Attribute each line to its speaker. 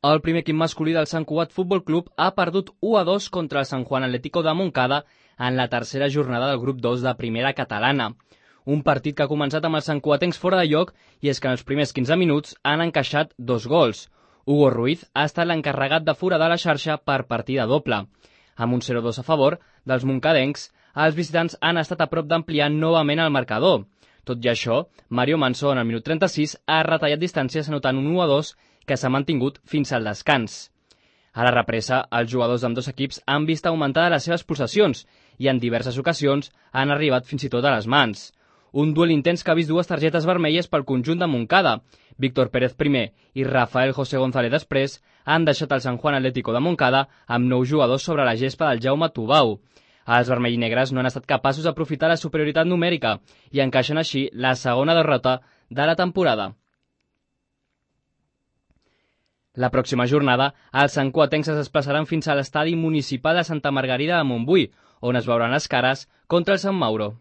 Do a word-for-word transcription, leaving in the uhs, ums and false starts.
Speaker 1: El primer equip masculí del Sant Cugat Futbol Club ha perdut u a dos contra el San Juan Atlético de Montcada en la tercera jornada del grup dos de primera catalana. Un partit que ha començat amb els santcugatencs fora de lloc i és que en els primers quinze minuts han encaixat dos gols. Hugo Ruiz ha estat l'encarregat de foradar la xarxa per partida doble. Amb un zero a dos a favor dels moncadencs, els visitants han estat a prop d'ampliar novament el marcador. Tot i això, Mario Manso en el minut trenta-sis ha retallat distàncies anotant un u a dos que s'ha mantingut fins al descans. A la represa, els jugadors d'ambdós equips han vist augmentades les seves possessions i en diverses ocasions han arribat fins i tot a les mans. Un duel intens que ha vist dues targetes vermelles pel conjunt de Montcada. Víctor Pérez primer i Rafael José González després han deixat el San Juan Atlético de Montcada amb nou jugadors sobre la gespa del Jaume Tubau. Els vermell-negres no han estat capaços d'aprofitar la superioritat numèrica i encaixen així la segona derrota de la temporada. La pròxima jornada, els santcugatencs es desplaçaran fins a l'estadi municipal de Santa Margarida de Montbui, on es veuran les cares contra el Sant Mauro.